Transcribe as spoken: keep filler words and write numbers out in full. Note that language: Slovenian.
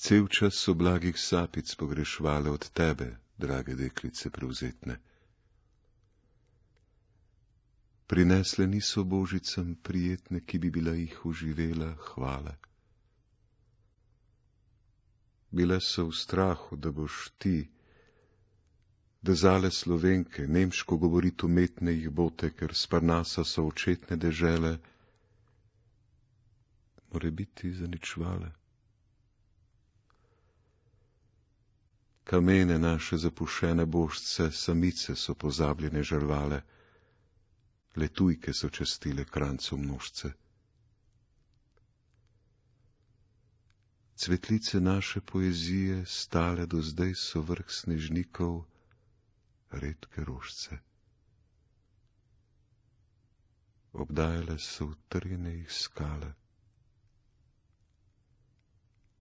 Cel čas so blagih sapic pogrešvale od tebe, drage deklice prevzetne. Prinesle niso božicam prijetne, ki bi bila jih oživela hvale. Bile so v strahu, da boš ti, da zale Slovenke, nemško govorit umetne jih bote, ker s Parnasa so očetne dežele, more biti zaničvale. Kamene naše zapušene božce, samice so pozabljene žrvale, le tujke so častile krancu množce. Cvetlice naše poezije stale do zdaj so vrh snežnikov, redke rožce. Obdajale so utrjene jih skale.